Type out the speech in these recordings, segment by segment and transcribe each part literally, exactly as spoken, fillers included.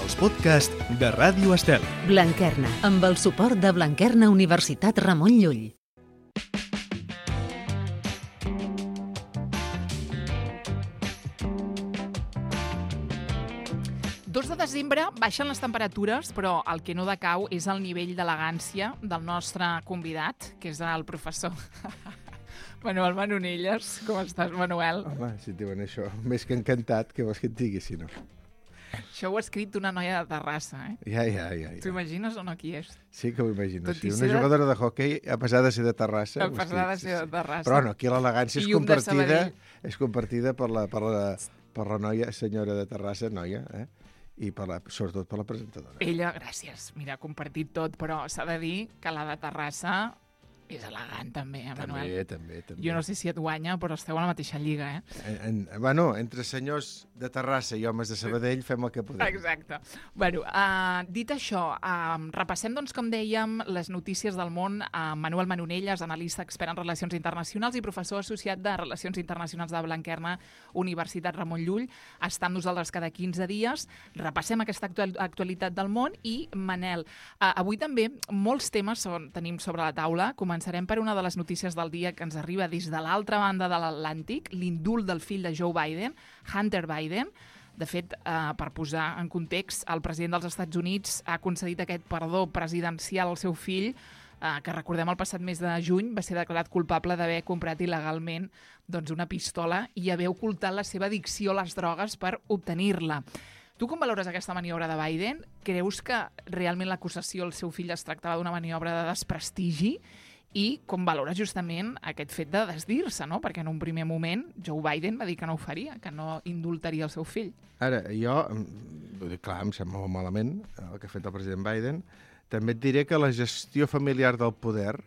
els podcasts de Ràdio Estel. Blanquerna, amb el suport de Blanquerna Universitat Ramon Llull. dos de desembre baixen les temperatures, però el que no decau és el nivell d'elegància del nostre convidat, que és el professor Manuel Manonelles. Com estàs, Manuel? Home, si et diuen això, més que encantat, què vols que et digui, si no? Això ho ha escrit una noia de Terrassa, eh? Ja, ja, ja. ja. T'ho imagines o no qui és? Sí que ho imagino. Sí. Una de... jugadora de hoquei, a pesar de ser de Terrassa... A pesar de ser de Terrassa. Però no, aquí l'elegància és compartida, és compartida per la, per, la, per la noia, senyora de Terrassa, noia, eh? I per la, sobretot per la presentadora. Ella, gràcies. Mira, ha compartit tot, però s'ha de dir que la de Terrassa és elegant, també, eh, Manuel? També, també, també. Jo no sé si et guanya, però esteu a la mateixa lliga, eh? En, en, bueno, entre senyors de Terrassa i homes de Sabadell fem el que podem. Exacte. Bueno, uh, dit això, uh, repassem, doncs, com dèiem, les notícies del món. Uh, Manuel Manonelles, analista expert en relacions internacionals i professor associat de Relacions Internacionals de Blanquerna, Universitat Ramon Llull, està amb nosaltres cada quinze dies. Repassem aquesta actual, actualitat del món i, Manel, uh, avui també molts temes són, tenim sobre la taula. Començarem per una de les notícies del dia que ens arriba des de l'altra banda de l'Atlàntic, l'indult del fill de Joe Biden, Hunter Biden. De fet, eh, per posar en context, el president dels Estats Units ha concedit aquest perdó presidencial al seu fill, eh, que recordem el passat mes de juny va ser declarat culpable d'haver comprat il·legalment doncs, una pistola i haver ocultat la seva addicció a les drogues per obtenir-la. Tu com valores aquesta maniobra de Biden? Creus que realment l'acusació al seu fill es tractava d'una maniobra de desprestigi? I com valora justament aquest fet de desdir-se, no? Perquè en un primer moment Joe Biden va dir que no ho faria, que no indultaria el seu fill. Ara, jo, vull dir, clar, em sembla molt malament el que ha fet el president Biden. També et diré que la gestió familiar del poder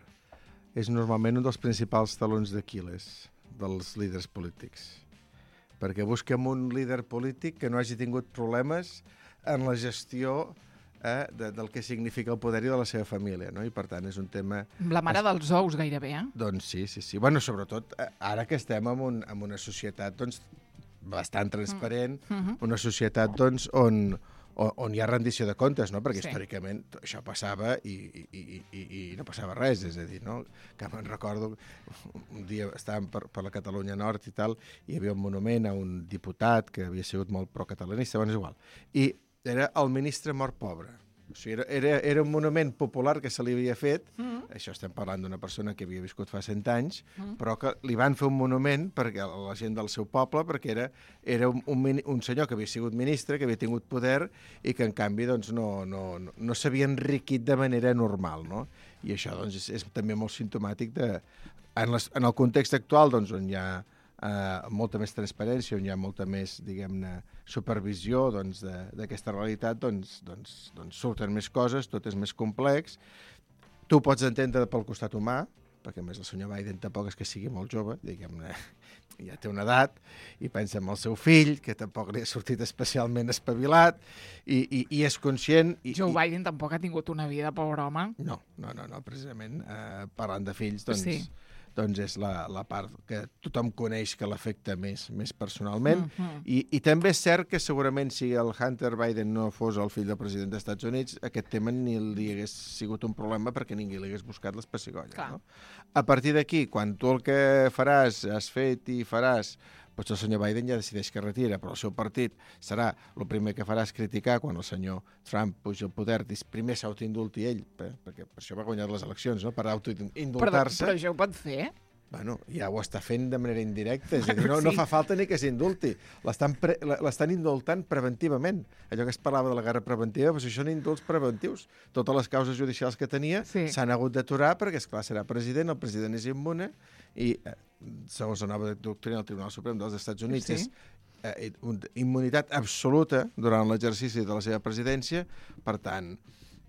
és normalment un dels principals talons d'Aquil·les dels líders polítics. Perquè busquem un líder polític que no hagi tingut problemes en la gestió Eh, de, del que significa el poder i de la seva família, no? I per tant és un tema... La mare es... dels ous, gairebé, eh? Doncs sí, sí, sí. Bueno, sobretot ara que estem en, un, en una societat doncs, bastant transparent, mm. mm-hmm. una societat doncs, on, on, on hi ha rendició de comptes, no? Perquè sí. Històricament això passava i, i, i, i, i no passava res, és a dir, no? Que me'n recordo, un dia estàvem per, per la Catalunya Nord i tal, i hi havia un monument a un diputat que havia sigut molt pro-catalanista, bueno, és igual. I era el ministre mort pobre. O sigui, era, era, era un monument popular que se li havia fet, mm. això estem parlant d'una persona que havia viscut fa cent anys, mm. però que li van fer un monument perquè a la gent del seu poble, perquè era, era un, un, un senyor que havia sigut ministre, que havia tingut poder i que, en canvi, doncs, no, no, no, no s'havia enriquit de manera normal, no? I això doncs, és, és també molt simptomàtic de... En, les, en el context actual, doncs, on hi ha Uh, molta més transparència, on hi ha molta més, diguem-ne, supervisió doncs, d'aquesta realitat, doncs, doncs, doncs surten més coses, tot és més complex. Tu pots entendre pel costat humà, perquè a més el senyor Biden tampoc és que sigui molt jove, diguem-ne, ja té una edat, i pensa en el seu fill, que tampoc li ha sortit especialment espavilat, i, i, i és conscient... I, Joe Biden tampoc ha tingut una vida, pobre home. No, no, no, no precisament, uh, parlant de fills, doncs... Sí. doncs és la, la part que tothom coneix que l'afecta més, més personalment. Mm-hmm. I, I també és cert que segurament si el Hunter Biden no fos el fill del president dels Estats Units, aquest tema ni li hagués sigut un problema perquè ningú li hagués buscat les pessigolles. No? A partir d'aquí, quan tu el que faràs, has fet i faràs, potser el senyor Biden ja decideix que retira, però el seu partit serà, el primer que farà és criticar quan el senyor Trump puja al poder, primer s'autoindulti ell, perquè per això va guanyar les eleccions, no? Per autoindultar-se. Però, però això ho pot fer? Bueno, ja ho està fent de manera indirecta, és a dir, no, no fa falta ni que s'indulti. L'estan pre, l'estan indultant preventivament. Allò que es parlava de la guerra preventiva, doncs això són indults preventius. Totes les causes judicials que tenia s'han sí. hagut d'aturar perquè, esclar, serà president, el president és immune i, eh, segons la nova doctrina del Tribunal Suprem dels Estats Units, sí. és eh, una immunitat absoluta durant l'exercici de la seva presidència. Per tant,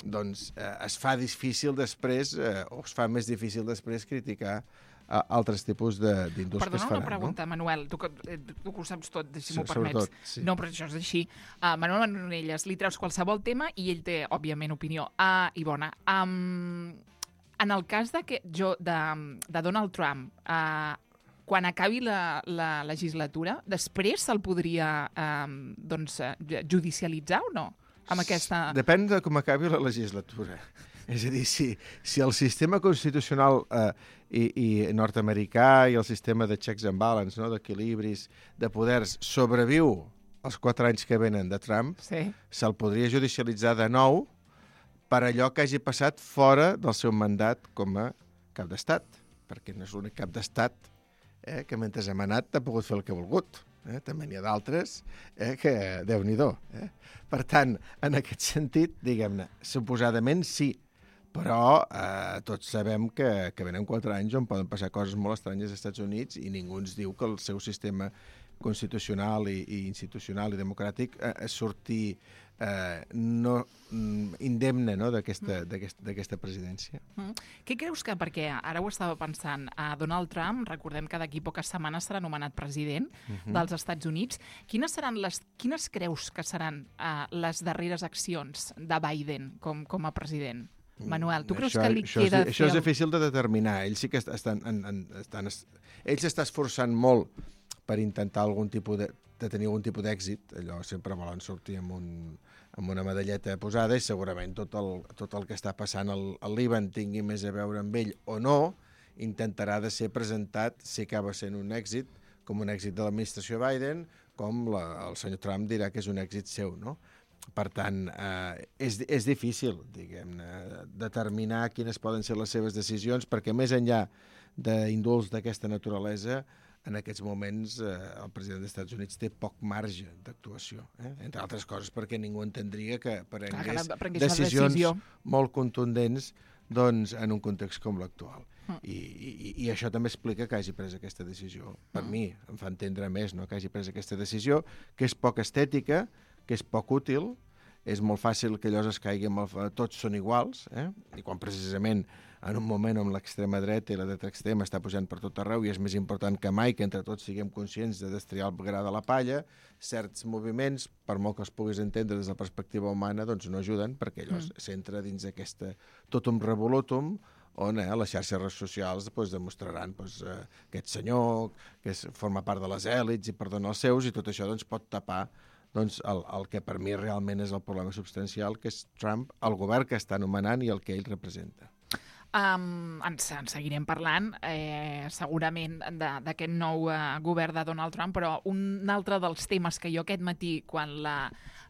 doncs, eh, es fa difícil després, eh, o es fa més difícil després criticar a altres tipus d'indults que es faran. Perdona una pregunta, no? Manuel, tu que, tu que ho saps tot, si m'ho sí, permets. Sí. No, però això és així. Uh, Manuel Manonelles, li treus qualsevol tema i ell té, òbviament, opinió. Uh, I bona. Um, en el cas de, que jo, de, de Donald Trump, uh, quan acabi la, la legislatura, després se'l podria um, doncs, judicialitzar o no? amb aquesta... Depèn de com acabi la legislatura. És a dir, si, si el sistema constitucional eh, i, i nord-americà i el sistema de checks and balance, no, d'equilibris, de poders, sobreviu els quatre anys que venen de Trump, sí. se'l podria judicialitzar de nou per allò que hagi passat fora del seu mandat com a cap d'estat, perquè no és l'únic cap d'estat eh, que mentre ha manat ha pogut fer el que ha volgut. Eh? També n'hi ha d'altres eh, que, Déu-n'hi-do. Eh? Per tant, en aquest sentit, diguem-ne, suposadament sí, però eh, tots sabem que, que venen quatre anys on poden passar coses molt estranyes als Estats Units i ningú ens diu que el seu sistema constitucional i, i institucional i democràtic eh, surti eh, no, indemne no, d'aquesta mm. presidència. Mm. Què creus que, perquè ara ho estava pensant, a Donald Trump, recordem que d'aquí poques setmanes serà nomenat president mm-hmm. dels Estats Units, quines seran les, quines creus que seran eh, les darreres accions de Biden com, com a president? Manuel, tu creus això, que li això queda... És, això és difícil de determinar. Ells sí que estan... En, en, estan ell s'està esforçant molt per intentar algun tipus de, de tenir algun tipus d'èxit. Allò sempre volen sortir amb, un, amb una medalleta posada i segurament tot el, tot el que està passant al, al Líban tingui més a veure amb ell o no, intentarà de ser presentat, si acaba sent un èxit, com un èxit de l'administració Biden, com la, el senyor Trump dirà que és un èxit seu, no? Per tant, eh, és, és difícil, diguem-ne, determinar quines poden ser les seves decisions, perquè més enllà d'indults d'aquesta naturalesa, en aquests moments eh, el president dels Estats Units té poc marge d'actuació. Eh? Entre altres coses perquè ningú entendria que prengués, Clar, que decisions decisió. molt contundents doncs, en un context com l'actual. Mm. I, i, I això també explica que hagi pres aquesta decisió. Per mm. mi, em fa entendre més no? que hagi pres aquesta decisió, que és poc estètica, que és poc útil, és molt fàcil que allò es caigui amb el... Tots són iguals, eh? I quan precisament en un moment on l'extrema dreta i la dreta extrema està pujant per tot arreu i és més important que mai que entre tots siguem conscients de destriar el gra de la palla, certs moviments, per molt que els puguis entendre des de la perspectiva humana, doncs no ajuden perquè allò mm. s'entra dins aquesta totum revolutum on eh, les xarxes socials doncs, demostraran doncs, eh, aquest senyor que és, forma part de les èlits i perdona els seus i tot això doncs, pot tapar doncs, el, el que per mi realment és el problema substancial, que és Trump, el govern que està nomenant i el que ell representa. Um, ens, en seguirem parlant eh, segurament d'aquest nou uh, govern de Donald Trump, però un altre dels temes que jo aquest matí, quan la,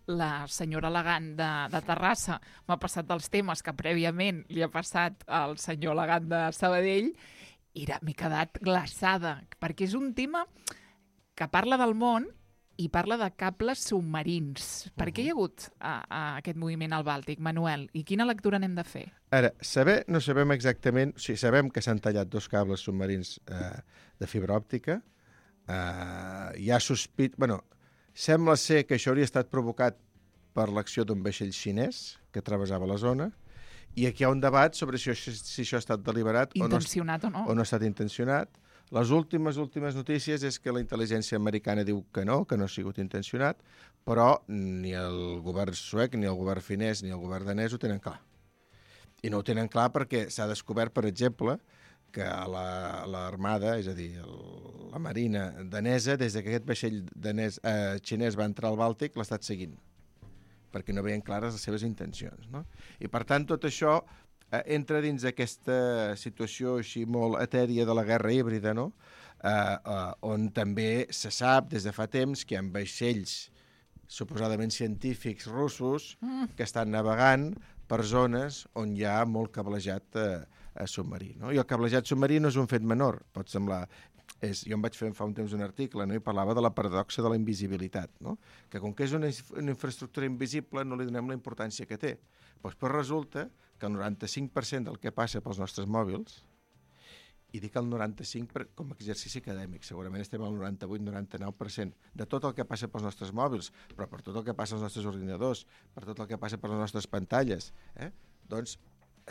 la senyora elegant de, de Terrassa m'ha passat dels temes que prèviament li ha passat al senyor elegant de Sabadell, m'he quedat glaçada, perquè és un tema que parla del món i parla de cables submarins. Per què hi ha hagut a, a aquest moviment al Bàltic, Manuel? I quina lectura n'hem de fer? Ara, saber, no sabem exactament... O sigui, sabem que s'han tallat dos cables submarins eh, de fibra òptica. Eh, hi ha sospit... Bueno, sembla ser que això hauria estat provocat per l'acció d'un vaixell xinès que travessava la zona. I aquí hi ha un debat sobre si, si això ha estat deliberat intencionat o no, o no ha estat intencionat. Les últimes, últimes notícies és que la intel·ligència americana diu que no, que no ha sigut intencionat, però ni el govern suec, ni el govern finès, ni el govern danès ho tenen clar. I no ho tenen clar perquè s'ha descobert, per exemple, que l'armada, la, és a dir, el, la marina danesa, des que aquest vaixell danès, eh, xinès va entrar al Bàltic, l'ha estat seguint, perquè no veien clares les seves intencions. No? I, per tant, tot això eh, entra dins d'aquesta situació així molt etèria de la guerra híbrida, no? eh, eh, on també se sap des de fa temps que hi ha vaixells suposadament científics russos mm. que estan navegant per zones on hi ha molt cablejat eh, eh, submarí. No? I el cablejat submarí no és un fet menor, pot semblar... És, jo em vaig fer fa un temps un article, no? I parlava de la paradoxa de la invisibilitat, no? Que com que és una, una infraestructura invisible no li donem la importància que té. Pues, però resulta que el noranta-cinc per cent del que passa pels nostres mòbils, i dic el noranta-cinc per cent com a exercici acadèmic, segurament estem al noranta-vuit noranta-nou per cent de tot el que passa pels nostres mòbils, però per tot el que passa als nostres ordinadors, per tot el que passa per les nostres pantalles, eh? doncs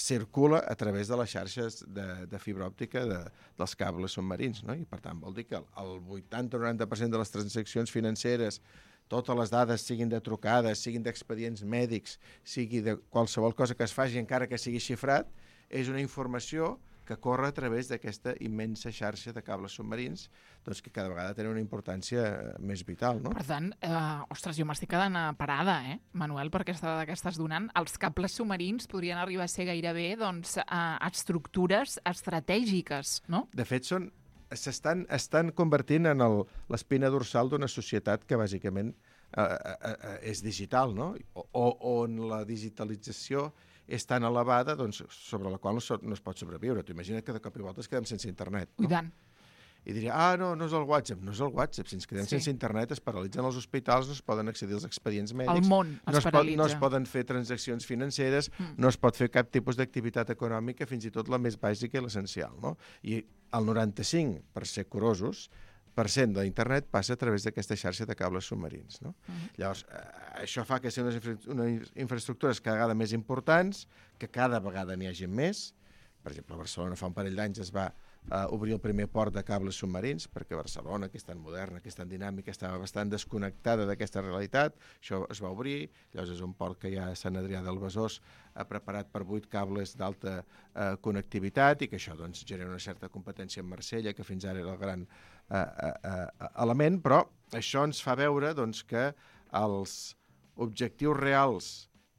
circula a través de les xarxes de, de fibra òptica de, dels cables submarins, no? I per tant vol dir que el vuitanta o noranta per cent de les transaccions financeres, totes les dades siguin de trucades, siguin d'expedients mèdics, sigui de qualsevol cosa que es faci encara que sigui xifrat, és una informació que corre a través d'aquesta immensa xarxa de cables submarins, doncs que cada vegada tenen una importància més vital, no? Per tant, eh, ostres, jo m'estic quedant parada, eh, Manuel, per aquesta dada que estàs donant. Els cables submarins podrien arribar a ser gairebé doncs, eh, estructures estratègiques, no? De fet, són s'estan estan convertint en el, l'espina dorsal d'una societat que bàsicament eh, eh, és digital, no? O, o on la digitalització és tan elevada, doncs, sobre la qual no, so, no es pot sobreviure. Tu imagina't que de cop i volta es quedem sense internet. No? I tant. I diria, ah, no, no és el WhatsApp. No és el WhatsApp. Si ens quedem sí. sense internet, es paralitzen els hospitals, no es poden accedir als expedients mèdics. El món es no es paralitza. Pot, no es poden fer transaccions financeres, mm. no es pot fer cap tipus d'activitat econòmica, fins i tot la més bàsica i l'essencial. No? I el noranta-cinc, per ser curosos, per cent de l'internet passa a través d'aquesta xarxa de cables submarins. No? Uh-huh. Llavors, eh, això fa que siguin unes, infra unes infraestructures cada vegada més importants, que cada vegada n'hi hagi més. Per exemple, a Barcelona fa un parell d'anys es va eh, obrir el primer port de cables submarins, perquè Barcelona, que és tan moderna, que és tan dinàmica, estava bastant desconnectada d'aquesta realitat. Això es va obrir, llavors és un port que ja Sant Adrià del Besòs ha preparat per vuit cables d'alta eh, connectivitat i que això doncs, genera una certa competència amb Marsella, que fins ara era el gran Uh, uh, uh, element, però això ens fa veure doncs, que els objectius reals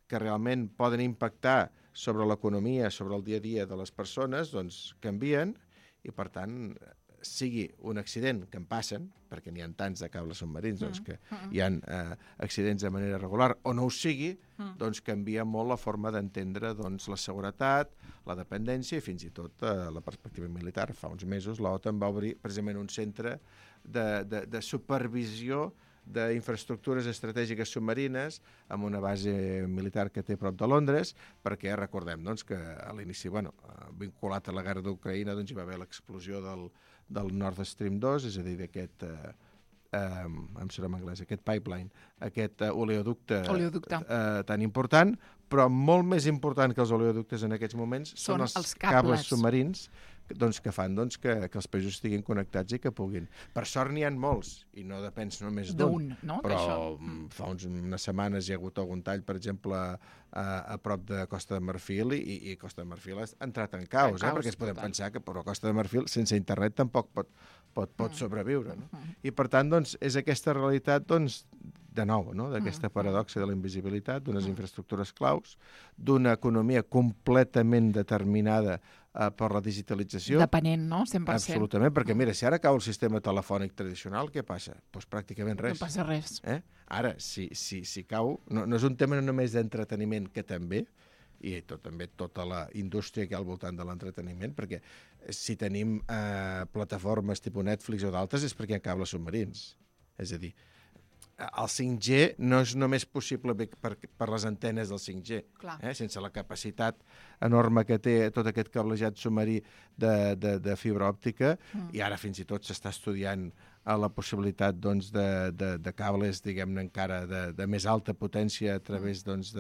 que realment poden impactar sobre l'economia, sobre el dia a dia de les persones, doncs canvien i, per tant, sigui un accident que en passen, perquè n'hi ha tants de cables submarins doncs, que hi ha uh, accidents de manera regular, o no ho sigui, doncs canvia molt la forma d'entendre doncs, la seguretat, la dependència i fins i tot uh, la perspectiva militar. Fa uns mesos l'OTAN va obrir precisament un centre de, de, de supervisió d'infraestructures estratègiques submarines amb una base militar que té prop de Londres, perquè recordem doncs, que a l'inici, bueno, vinculat a la guerra d'Ucraïna, doncs, hi va haver l'explosió del, del Nord Stream dos, és a dir, d'aquest, eh, eh, em surt en anglès, aquest pipeline, aquest eh, oleoducte, oleoducte. Eh, tan important, però molt més important que els oleoductes en aquests moments són, són els, els cables. cables submarins doncs, que fan doncs, que, que els països estiguin connectats i que puguin. Per sort n'hi ha molts, i no depèn només d'un, no? però fa uns, unes setmanes hi ha hagut algun tall, per exemple, a, a prop de Costa de Marfil, i, i Costa de Marfil ha entrat en caos, en caos eh? perquè es podem total. pensar que però Costa de Marfil sense internet tampoc pot, pot, pot mm. sobreviure. No? Mm. I per tant, doncs, és aquesta realitat doncs, de nou, no? d'aquesta paradoxa de la invisibilitat, d'unes infraestructures claus, d'una economia completament determinada uh, per la digitalització. Depenent, no? cent per cent. Absolutament, perquè mira, si ara cau el sistema telefònic tradicional, què passa? Doncs pues pràcticament res. No passa res. Eh? Ara, si, si, si cau, no, no és un tema només d'entreteniment, que també, i tot, també tota la indústria que hi ha al voltant de l'entreteniment, perquè si tenim eh, plataformes tipus Netflix o d'altres és perquè hi ha cables submarins. És a dir, el cinc G no és només possible per, per les antenes del cinc G, eh? sense la capacitat enorme que té tot aquest cablejat submarí de, de, de fibra òptica, mm. i ara fins i tot s'està estudiant a la possibilitat doncs, de, de, de cables, diguem-ne, encara de, de més alta potència a través doncs,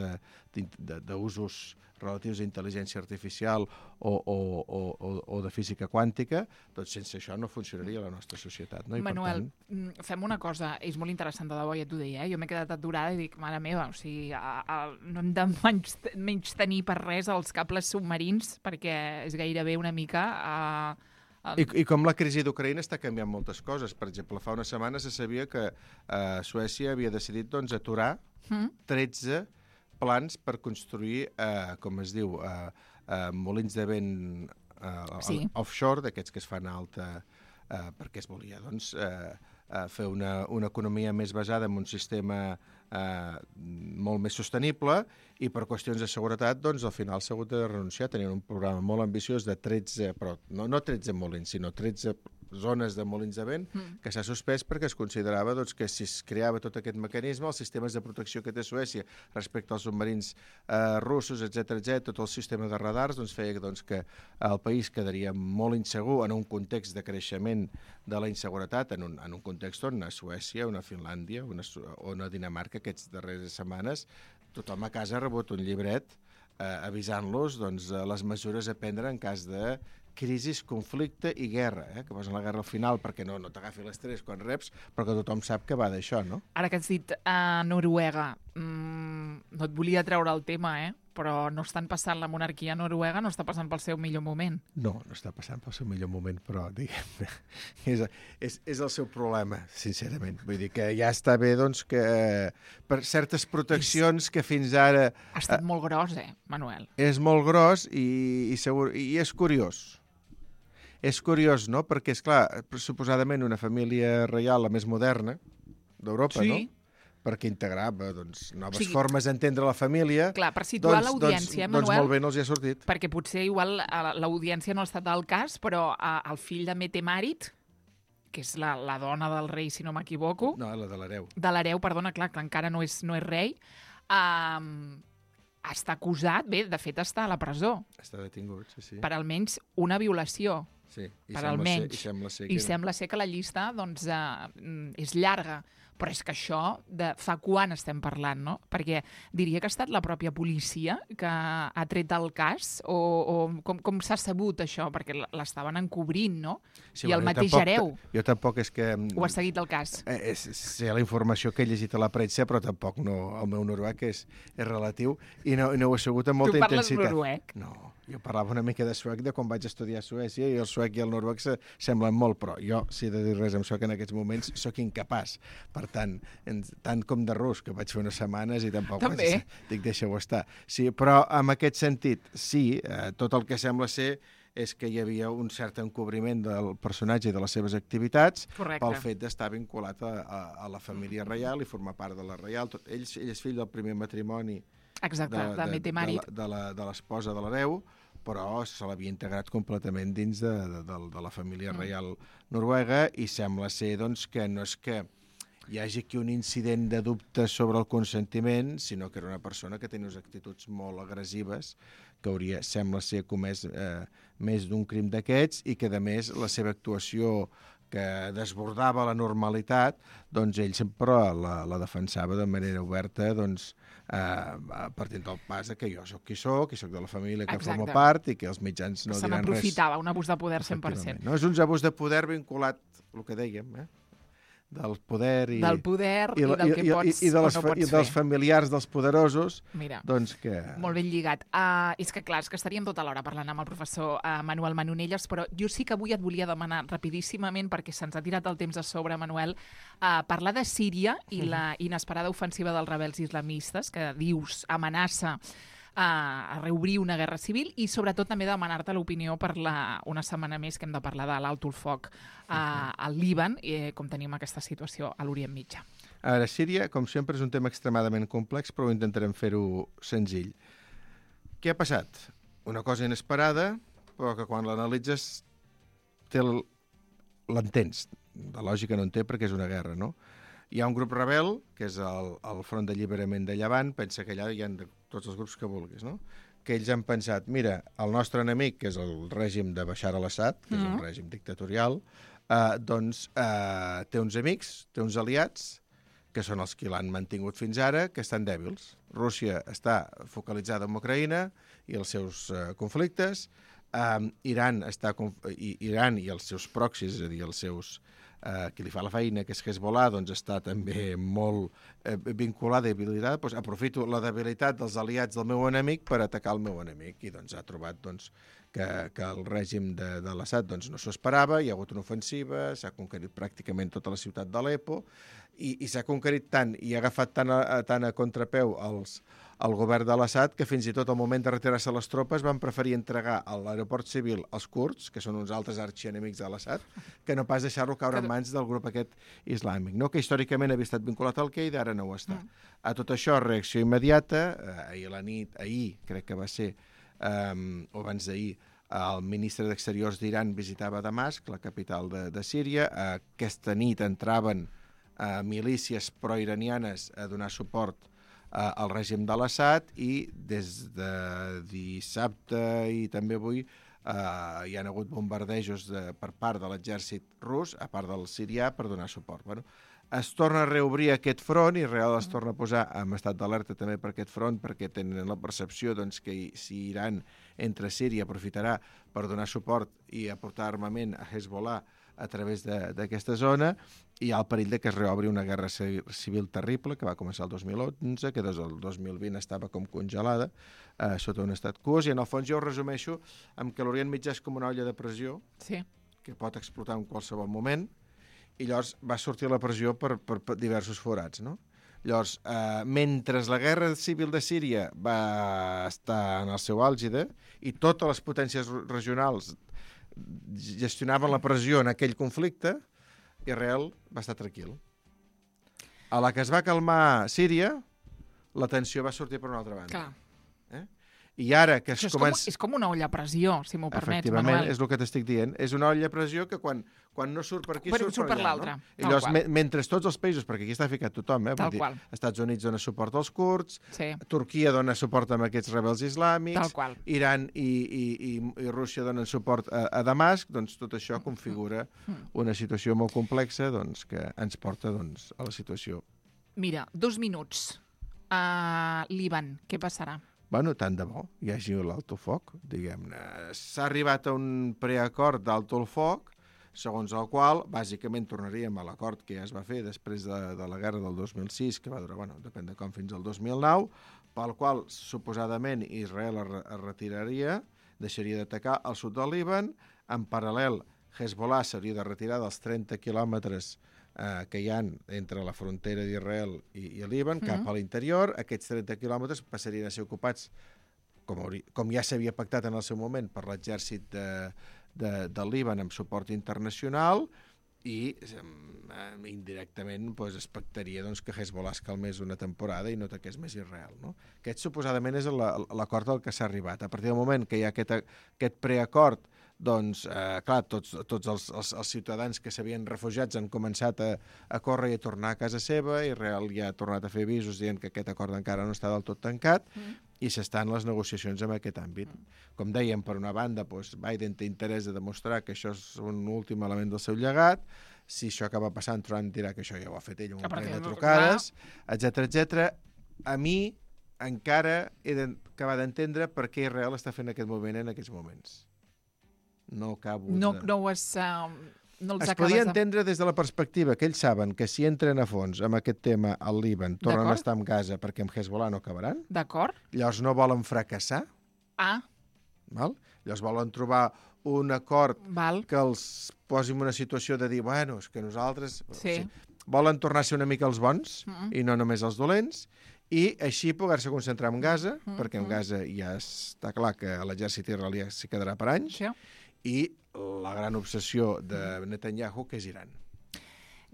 d'usos relatius a intel·ligència artificial o, o, o, o de física quàntica, doncs sense això no funcionaria la nostra societat. No? I Manuel, per tant... fem una cosa, és molt interessant de debò, ja t'ho deia, eh? jo m'he quedat aturada i dic, mare meva, o sigui, a, a, no hem de menys, menys tenir per res els cables submarins, perquè és gairebé una mica... A... I, I com la crisi d'Ucraïna està canviant moltes coses. Per exemple, fa una setmana se sabia que eh, Suècia havia decidit doncs, aturar mm. tretze plans per construir, eh, com es diu, eh, eh, molins de vent eh, sí. offshore, d'aquests que es fan a alta, eh, perquè es volia doncs, eh, eh, fer una, una economia més basada en un sistema eh, molt més sostenible, i per qüestions de seguretat, doncs, al final s'ha hagut de renunciar. Tenien un programa molt ambiciós de tretze, però no, no tretze molins, sinó tretze zones de molins de vent, mm. que s'ha suspès perquè es considerava doncs, que si es creava tot aquest mecanisme, els sistemes de protecció que té Suècia respecte als submarins eh, russos, etcètera, etcètera, tot el sistema de radars, doncs, feia doncs, que el país quedaria molt insegur en un context de creixement de la inseguretat, en un, en un context on a Suècia, una Finlàndia, una, o una Dinamarca, aquestes darreres setmanes, tothom a casa ha rebut un llibret eh, avisant-los doncs, les mesures a prendre en cas de crisis, conflicte i guerra, eh? que posen la guerra al final perquè no, no t'agafi l'estrès quan reps, però que tothom sap que va d'això, no? Ara que has dit a uh, Noruega, mm, no et volia treure el tema, eh? però no estan passant la monarquia noruega, no està passant pel seu millor moment. No, no està passant pel seu millor moment, però diguem, és, és, és el seu problema, sincerament. Vull dir que ja està bé doncs, que per certes proteccions que fins ara... Ha estat molt gros, eh, Manuel? És molt gros i, i, segur, i és curiós. És curiós, no? Perquè, és clar, suposadament una família reial la més moderna d'Europa, sí. no? Perquè integrava doncs, noves o sigui, formes d'entendre la família. Clar, per situar doncs, l'audiència, doncs, Manuel... Doncs molt bé no els hi ha sortit. Perquè potser igual l'audiència no ha estat al cas, però el fill de Mette-Marit, que és la, la dona del rei, si no m'equivoco... No, la de l'hereu. De l'hereu, perdona, clar, que encara no és, no és rei, um, està acusat, bé, de fet està a la presó. Està detingut, sí, sí. Per almenys una violació. Sí, i per sembla almenys. Ser, i sembla ser I que... sembla ser que la llista doncs, eh, és llarga. Però és que això, de fa quan estem parlant, no? Perquè diria que ha estat la pròpia policia que ha tret el cas, o, o com, com s'ha sabut això? Perquè l'estaven encobrint, no? Sí, I bueno, el mateix tampoc, hereu jo tampoc és que... ho ha seguit el cas. Eh, és, sé la informació que he llegit a la premsa, però tampoc no, el meu noruec és, és relatiu i no, no ho he segut amb molta tu parles intensitat. noruec? No, jo parlava una mica de suec de quan vaig estudiar a Suècia i el suec i el noruec se, semblen molt, però jo, si he de dir res amb suec en aquests moments, sóc incapaç. Per tant, en, tant com de rus, que vaig fer unes setmanes i tampoc També. vaig, dic, deixa-ho estar. Sí, però en aquest sentit, sí, eh, tot el que sembla ser és que hi havia un cert encobriment del personatge i de les seves activitats. Correcte. Pel fet d'estar vinculat a, a, a la família reial i formar part de la reial. Tot, ell, ell és fill del primer matrimoni Exacte, de, de, de Mette-Marit. De, de, de l'esposa de l'hereu, però se l'havia integrat completament dins de, de, de, de la família reial noruega i sembla ser doncs, que no és que hi hagi aquí un incident de dubte sobre el consentiment, sinó que era una persona que tenia unes actituds molt agressives, que hauria, sembla ser, comès eh, més d'un crim d'aquests i que, a més, la seva actuació que desbordava la normalitat, doncs ell sempre la, la defensava de manera oberta, doncs, eh, partint del pas que jo sóc qui sóc, i sóc de la família que Exacte. formo part i que els mitjans no Se diran res. Se n'aprofitava, un abús de poder cent per cent. No, és un abús de poder vinculat, el que dèiem, eh? del poder i, del poder i, i, i del que i, pots i, i, de les, o no pots i dels fer. familiars dels poderosos. Mira, doncs que... molt ben lligat. Uh, és que clar, és que estaríem tota l'hora parlant amb el professor uh, Manuel Manonelles, però jo sí que avui et volia demanar rapidíssimament, perquè se'ns ha tirat el temps a sobre, Manuel, uh, parlar de Síria i la inesperada ofensiva dels rebels islamistes, que dius amenaça a reobrir una guerra civil i sobretot també demanar-te l'opinió per la, una setmana més que hem de parlar de l'alt el foc uh, al Líban, i com tenim aquesta situació a l'Orient Mitjà. Ara, Síria, com sempre, és un tema extremadament complex, però intentarem fer-ho senzill. Què ha passat? Una cosa inesperada, però que quan l'analitzes l'entens. De lògica no en té perquè és una guerra, no? Hi ha un grup rebel, que és el, el Front d'Alliberament de Llevant, pensa que allà hi ha de, tots els grups que vulguis, no? Que ells han pensat, mira, el nostre enemic, que és el règim de Bashar al-Assad, que mm-hmm. és un règim dictatorial, eh, doncs eh, té uns amics, té uns aliats, que són els que l'han mantingut fins ara, que estan dèbils. Rússia està focalitzada en Ucraïna i els seus eh, conflictes, eh, Iran, està, i, Iran i els seus proxys, és a dir, els seus... Uh, qui li fa la feina, que és Hezbollah, doncs està també molt eh, vinculada i habilitada, doncs aprofito la debilitat dels aliats del meu enemic per atacar el meu enemic. I doncs ha trobat doncs, que, que el règim de, de l'Assad doncs, no s'ho esperava, hi ha hagut una ofensiva, s'ha conquerit pràcticament tota la ciutat d'Aleppo, i, i s'ha conquerit tant i ha agafat tant a, tant a contrapeu els el govern de l'Assad, que fins i tot al moment de retirar-se les tropes van preferir entregar a l'aeroport civil als kurds, que són uns altres arxienemics de l'Assad, que no pas deixar-lo caure en mans del grup aquest islàmic, no? Que històricament havia estat vinculat al Qaeda, ara no ho està. Mm. A tot això, reacció immediata, eh, ahir a la nit, ahir, crec que va ser, eh, o abans d'ahir, el ministre d'Exteriors d'Iran visitava Damasc, la capital de, de Síria. Eh, aquesta nit entraven eh, milícies proiranianes a donar suport al règim de l'Assad i des de dissabte i també avui eh, hi han hagut bombardejos de, per part de l'exèrcit rus, a part del sirià, per donar suport. Bueno, es torna a reobrir aquest front i real es torna a posar en estat d'alerta també per aquest front perquè tenen la percepció doncs, que si Iran entra a Síria aprofitarà per donar suport i aportar armament a Hezbollah a través d'aquesta zona, i hi ha el perill de que es reobri una guerra civil terrible, que va començar el dos mil onze, que des del dos mil vint estava com congelada, eh, sota un estat quo, i en el fons jo ho resumeixo amb que l'Orient Mitjà és com una olla de pressió, sí. que pot explotar en qualsevol moment, i llavors va sortir la pressió per, per, per diversos forats, no? Llavors, eh, mentre la guerra civil de Síria va estar en el seu àlgide i totes les potències regionals gestionaven la pressió en aquell conflicte, Israel va estar tranquil. A la que es va calmar Síria, la tensió va sortir per una altra banda. Clar. Eh? I ara que es Això és, comença... com, és com una olla a pressió, si m'ho permets, Efectivament, Manuel. és el que t'estic dient. És una olla a pressió que quan, quan no surt per aquí, Bueno, surt, surt per per allà. l'altra, No? I tal llavors, qual. me, mentre tots els països, perquè aquí està ficat tothom, eh? Tal Vull dir, qual. Estats Units dona suport als kurds, Sí, Turquia dona suport a aquests rebels islàmics, tal qual. Iran i, i, i, i Rússia donen suport a, a Damasc, doncs tot això configura una situació molt complexa doncs, que ens porta doncs, a la situació. Mira, dos minuts. Uh, Líban, què passarà? Bueno, tant de bo hi hagi l'alto foc, diguem-ne. S'ha arribat a un preacord d'alto el foc, segons el qual, bàsicament, tornaríem a l'acord que ja es va fer després de, de la guerra del dos mil sis, que va durar, bueno, depèn de com, fins al dos mil nou, pel qual, suposadament, Israel es, es retiraria, deixaria d'atacar al sud del Líban, en paral·lel, Hezbollah s'hauria de retirar dels trenta quilòmetres eh, que hi ha entre la frontera d'Israel i, i el Líban, mm-hmm. cap a l'interior. Aquests trenta quilòmetres passarien a ser ocupats, com, hauria, com ja s'havia pactat en el seu moment, per l'exèrcit de, de, del Líban amb suport internacional, i eh, indirectament pues, es pactaria doncs, que Hezbollah es calmés una temporada i no ataqués més Israel. No? Aquest suposadament és l'acord al que s'ha arribat. A partir del moment que hi ha aquest, aquest preacord, doncs, eh, clar, tots, tots els, els, els ciutadans que s'havien refugiats han començat a, a córrer i a tornar a casa seva, i Israel ja ha tornat a fer avisos dient que aquest acord encara no està del tot tancat, mm. i s'estan les negociacions en aquest àmbit. Mm. Com dèiem, per una banda, doncs, Biden té interès de demostrar que això és un últim element del seu llegat. Si això acaba passant, Trump dirà que això ja ho ha fet ell, un parell de trucades, etcètera, etcètera. A mi encara he d'acabar d'entendre per què Israel està fent aquest moviment en aquests moments. No acabo no, de... no, es, uh, no els es podia de... entendre des de la perspectiva que ells saben que si entren a fons amb aquest tema al Líban tornen a estar en Gaza perquè amb Hezbollah no acabaran. D'acord. Llavors no volen fracassar. Ah. Val? Llavors volen trobar un acord Val. que els posi en una situació de dir, bueno, és que nosaltres... Sí. Sí, volen tornar a ser una mica els bons mm-hmm. i no només els dolents, i així poder-se concentrar en Gaza, mm-hmm. perquè en Gaza ja està clar que l'exèrcit israelià s'hi quedarà per anys, Sí. i la gran obsessió de Netanyahu, que és Iran.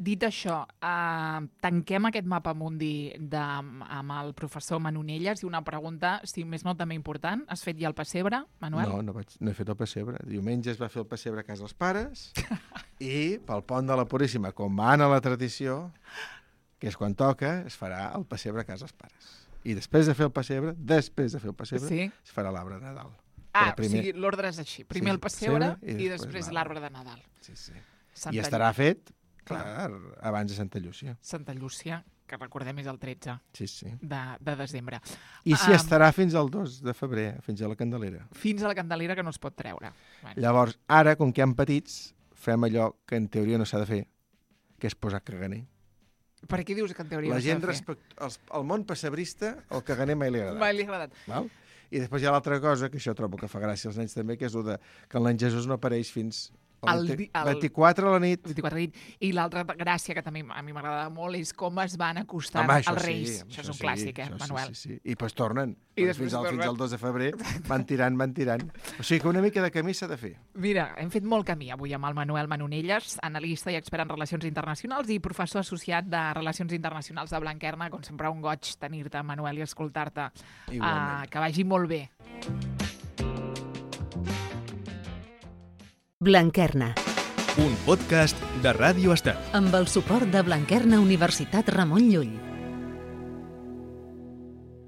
Dit això, eh, tanquem aquest mapa mundi de, amb el professor Manonelles i una pregunta, si més no també important. Has fet ja el pessebre, Manuel? No, no, vaig, no he fet el pessebre. Diumenge es va fer el pessebre a casa dels pares i pel pont de la Puríssima, com va anar la tradició, que és quan toca, es farà el pessebre a casa dels pares. I després de fer el pessebre, després de fer el pessebre, sí. es farà l'arbre de Nadal. Ah, primer... o sigui, l'ordre és així. Primer sí, el pessebre i, i després l'arbre de Nadal. Sí, sí. Santa I estarà fet, clar, clar, abans de Santa Llúcia. Santa Llúcia, que recordem és el tretze sí, sí. De, de desembre. I si Um, estarà fins al dos de febrer, fins a la Candelera. Fins a la Candelera, que no es pot treure. Bueno. Llavors, ara, com que hi ha petits, fem allò que en teoria no s'ha de fer, que és posar caganer. Per què dius que en teoria La no s'ha gent, de fer? respect... el, el món pessebrista, el caganer mai li ha agradat. Mai li ha agradat. Val? I després hi ha l'altra cosa, que això trobo que fa gràcia als nens també, que és el de que el nen Jesús no apareix fins El el di- el- vint-i-quatre a la nit. vint-i-quatre de nit. I l'altra gràcia que també a mi m'agradava molt és com es van acostant Home, això als sí, Reis. home, això és un sí, clàssic, eh, això Manuel? Sí, sí, sí. I després tornen. I després fins, al, tornen. fins al dos de febrer van tirant, van tirant. O sigui que una mica de camí s'ha de fer. Mira, hem fet molt camí avui amb el Manuel Manonelles, analista i expert en relacions internacionals i professor associat de Relacions Internacionals de Blanquerna. Com sempre, un goig tenir-te, Manuel, i escoltar-te. Igualment. Uh, que vagi molt bé. Blanquerna, Un podcast de Ràdio Estel. amb el suport de Blanquerna Universitat Ramon Llull.